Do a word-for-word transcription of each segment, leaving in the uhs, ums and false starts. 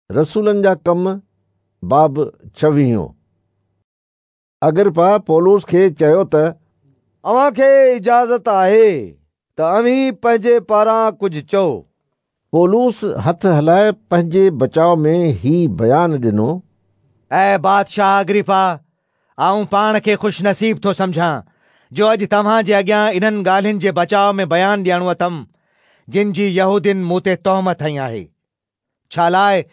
रसूलनि जा कम बाब छवीहों। अग्रिप्पा पौलुस खे चयो त अव्हांखे इजाज़त आहे त अव्हीं पंहिंजे पारां कुझु चओ। पौलुस हथ हलाए पंहिंजे बचाव में ही बयान ॾिनो, ऐं बादशाह अग्रिप्पा, आउं पाण खे ख़ुशि नसीब थो सम्झां जो अॼु तव्हां जे अॻियां इन्हनि ॻाल्हियुनि जे बचाव में बयान ॾियणो अथमि जिन जी यहूदियुनि मूं ते तोहमत हई आहे। छा लाइ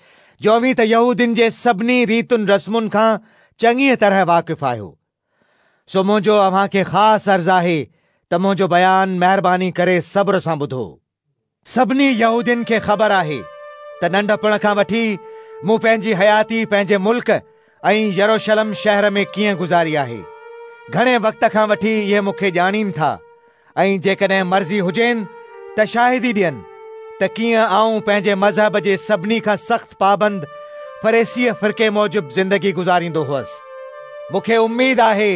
जो अव्हीं त यहूदियुनि जे सभिनी रीतुनि रस्मुनि खां चङीअ तरह वाक़िफ़ आहियो। सो मुंहिंजो अव्हांखे ख़ासि अर्ज़ आहे त मुंहिंजो बयान महिरबानी करे सब्र सां ॿुधो। सभिनी यहूदियुनि खे ख़बर आहे त नंढपण खां वठी मूं पंहिंजी हयाती पंहिंजे मुल्क ऐं यरूशलेम शहर में कीअं गुज़ारी आहे। घणे वक़्त खां वठी इहे मूंखे ॼाणीनि था ऐं जेकॾहिं मर्ज़ी हुजेनि त शाहिदी ॾियनि त कीअं आउं पंहिंजे मज़हब जे सभिनी खां सख़्तु पाबंद फरीसी फ़िरके मूजिबि ज़िंदगी गुज़ारींदो हुअसि। मूंखे उम्मीद आहे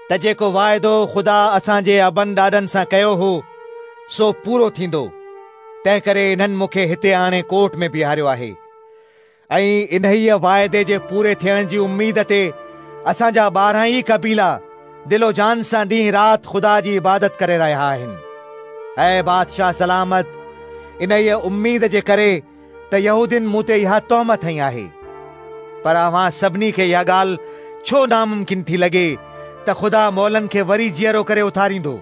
त जेको वाइदो ख़ुदा असांजे अबनि ॾाॾनि सां कयो हो सो पूरो थींदो। तंहिं करे इन्हनि मूंखे हिते आणे कोर्ट में बीहारियो आहे ऐं इन्हीअ वाइदे जे पूरे थियण जी उम्मीद ते असांजा ॿारहं ई कबीला दिलो जान सां ॾींहुं राति ख़ुदा जी इबादत करे रहिया आहिनि। ऐं बादशाह सलामत, इन्हीअ उम्मीद जे करे त यहूदियुनि मूं ते इहा तोहमत हई आहे। पर अव्हां सभिनी खे इहा ॻाल्हि छो नामुमकिन थी लॻे त ख़ुदा मौलनि खे वरी जीअरो करे उथारींदो?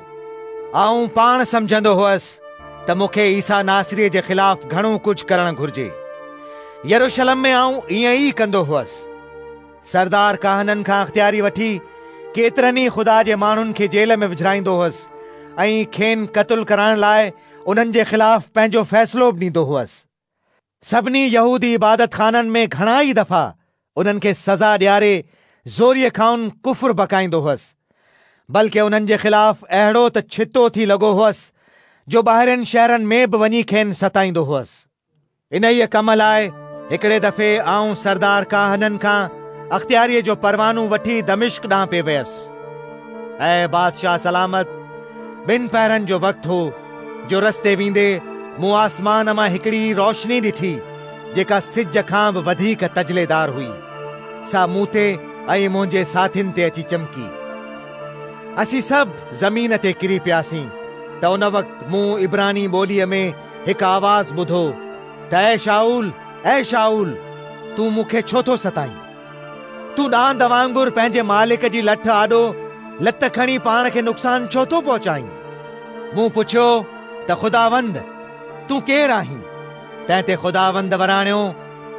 आउं पाण सम्झंदो हुअसि त मूंखे ईसा नासरीअ जे ख़िलाफ़ घणो कुझु करणु घुरिजे। यरूशलेम में आउं ईअं ई कंदो हुअसि। सरदार काहननि खां अख़्तियारी वठी केतिरनि ई ख़ुदा जे माण्हुनि खे जेल में विझाईंदो हुअसि ऐं खेनि क़तलु कराइण लाइ उन्हनि जे ख़िलाफ़ पंहिंजो फ़ैसिलो बि ॾींदो हुअसि। सभिनी यहूदी इबादत खाननि में घणा ई दफ़ा उन्हनि खे सज़ा ॾियारे ज़ोरीअ खां उन कुफुर बकाईंदो हुअसि, बल्कि उन्हनि जे ख़िलाफ़ अहिड़ो त छितो थी लॻो हुअसि जो ॿाहिरियुनि शहरनि में बि वञी खेनि सताईंदो हुअसि। इन्हीअ कम लाइ हिकिड़े दफ़े आउं सरदार काहननि खां अख़्तियारीअ जो परवानो वठी दमिश्क ॾांहुं पे वियसि। ऐं बादशाह सलामत, ॿिनि पहरनि जो वक़्तु हो जो रस्ते वेंदे मूं आसमान मां हिकिड़ी रोशनी ॾिठी जेका सिज खां बि वधीक तजलेदार हुई। सा मूं ते ऐं मुंहिंजे साथियुनि ते अची चमकी। असीं सभु ज़मीन ते किरी पियासीं त उन वक़्तु मूं इब्रानी ॿोलीअ में हिकु आवाज़ ॿुधो त ऐ शाऊल, ऐ शाऊल, तूं मूंखे छो थो सताईं? तूं ॾांद वांगुरु पंहिंजे मालिक जी लठ आॾो लत खणी पाण खे नुक़सानु छो थो पहुचाईं? मूं पुछियो त ख़ुदावंद, तूं केरु आहीं? तंहिं ते ख़ुदावंद वराणियो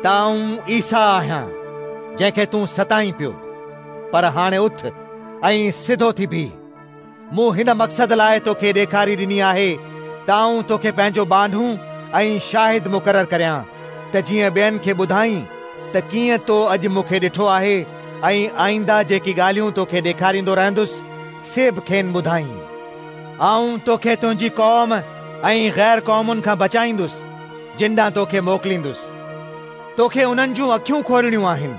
त आउं ईसा आहियां जंहिंखे तूं सताईं पियो। पर हाणे उथ ऐं सिधो थी बीह। मूं हिन मक़सद लाइ तोखे ॾेखारी ॾिनी आहे त आउं तोखे पंहिंजो बानू ऐं शाहिद मुक़ररु करियां त जीअं ॿियनि खे ॿुधाईं त कीअं तो अॼु मूंखे ॾिठो आहे ऐं आइंदा जेकी ॻाल्हियूं तोखे ॾेखारींदो रहंदुसि से बि खेनि ॿुधाईं। आउं तोखे तुंहिंजी क़ौम ऐं ग़ैर क़ौमुनि खां बचाईंदुसि जिन ॾांहुं तोखे मोकिलींदुसि। तोखे उन्हनि जूं अखियूं खोलणियूं आहिनि,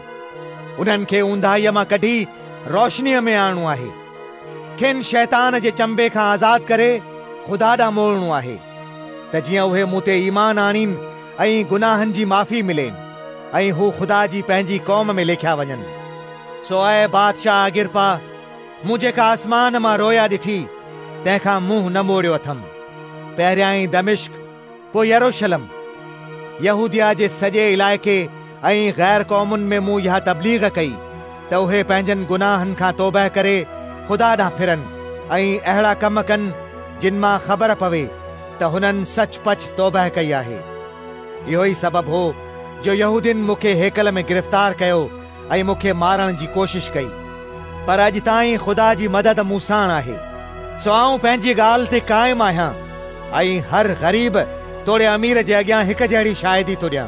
उन्हनि खे ऊंदाहीअ मां कढी रोशनीअ में आणणो आहे, खेनि शैतान जे चंबे खां आज़ाद करे ख़ुदा ॾांहुं मोड़णो आहे त जीअं उहे मूं ते ईमान आणीनि ऐं गुनाहनि जी माफ़ी मिलेनि ऐं हू ख़ुदा जी पंहिंजी क़ौम में लिखिया वञनि। सो ऐं बादशाह अग्रिप्पा, मूं जेका आसमान मां रोया ॾिठी तंहिंखां मुंहुं न मोड़ियो अथमि। पहिरियां दमिश्क, पोइ यरूशलेम, यहूदिया जे सॼे इलाइक़े ऐं ग़ैर क़ौमुनि में मूं इहा तबलीग कई त उहे पंहिंजनि गुनाहनि खां तौबा करे ख़ुदा ॾांहुं फिरनि ऐं अहिड़ा कम कनि जिन मां ख़बर पवे त हुननि सच पच तौबा कई आहे। इहो ई सबबु हो जो यहूदियुनि मूंखे हेकल में गिरफ़्तार कयो ऐं मूंखे मारण जी कोशिश कई। पर अॼु ताईं ख़ुदा जी मदद मूं साण आहे। सो आउं पंहिंजी ॻाल्हि ते क़ाइमु आहियां ऐं हर ग़रीब तोड़े अमीर जे अॻियां हिकु जहिड़ी शाहिदी थो ॾियां।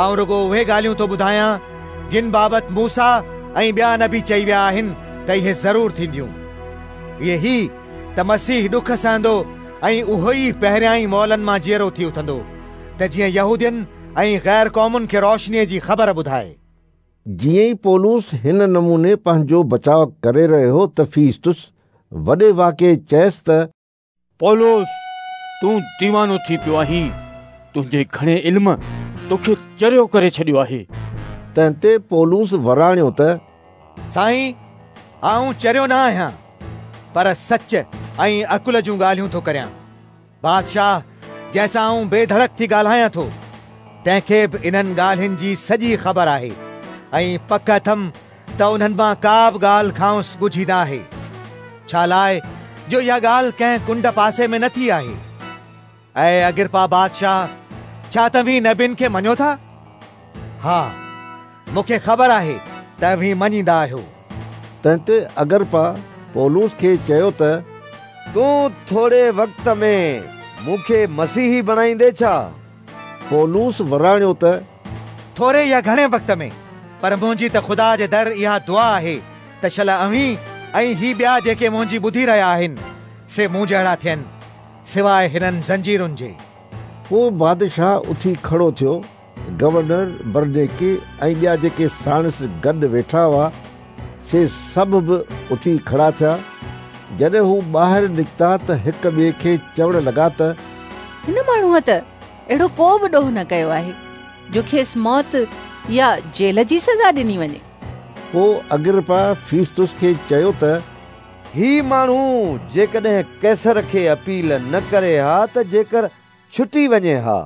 आउं रुगो उहे ॻाल्हियूं थो ॿुधायां जिन बाबति मूसा ऐं ॿिया नबी चई विया आहिनि त इहे ज़रूरु थींदियूं। इहे ही त मसीह ॾुख सहंदो ऐं उहो ई पहिरियां ई मौलनि मां जीअरो थी उथंदो त जीअं यहूदियुनि ऐं ग़ैर क़ौमुनि खे रोशनीअ जी ख़बर ॿुधाए। जीअं ई पौलुस हिन नमूने पंहिंजो बचाव करे रहियो हो त फीस्तुस वॾे वाके चयसि त पौलुस, तूं दीवानो थी पियो आहीं। तुंहिंजे घणे इल्म तोखे चरियो करे छॾियो आहे। तंहिं ते पौलुस वराणियो त साईं, आउं चरियो न आहियां, पर सच ऐं अकुल जूं ॻाल्हियूं थो करियां। बादशाह, जंहिंसां आउं बेधड़क थी ॻाल्हायां थो, तंहिंखे बि इन्हनि ॻाल्हियुनि जी सॼी ख़बर आहे ऐं पक अथमि त उन्हनि मां का बि ॻाल्हि खांसि ॻुझी न आहे, छा लाइ जो इहा ॻाल्हि कंहिं कुंड पासे में न थी आहे। ऐं अग्रिपा बादशाह, छा तव्हीं नबियुनि खे मञो था? हा, मूंखे ख़बर आहे त तव्हीं मञींदा आहियो। तंहिं ते अग्रिपा पौलुस खे चयो त तूं थोरे वक़्त में मूंखे मसीही बणाईंदे छा? पौलुस वराणियो त थोरे या घणे वक़्त में, पर मुंहिंजी त ख़ुदा जे दर इहा दुआ आहे त शल अव्हीं ऐं ही ॿिया जेके मुंहिंजी ॿुधी रहिया आहिनि से मूं जहिड़ा थियनि, सिवाइ हिननि ज़ंजीरुनि जे। पोइ बादशाह उथी खड़ो थियो। गवर्नर, बरनेके ऐं ॿिया जेके साणसि गॾु वेठा हुआ से सभु बि उथी खड़ा थिया। जॾहिं हू ॿाहिरि निकिता त हिक ॿिए खे चवण लॻा त हिन माण्हूअ त अहिड़ो को बि ॾोह न कयो आहे जो खेसि मौत या जेल जी सज़ा ॾिनी वञे। पोइ अग्रिपा फीस्तुस खे चयो त ही माण्हू जेकॾहिं कैसर खे अपील न करे हा त जेकर छुटी वञे हा।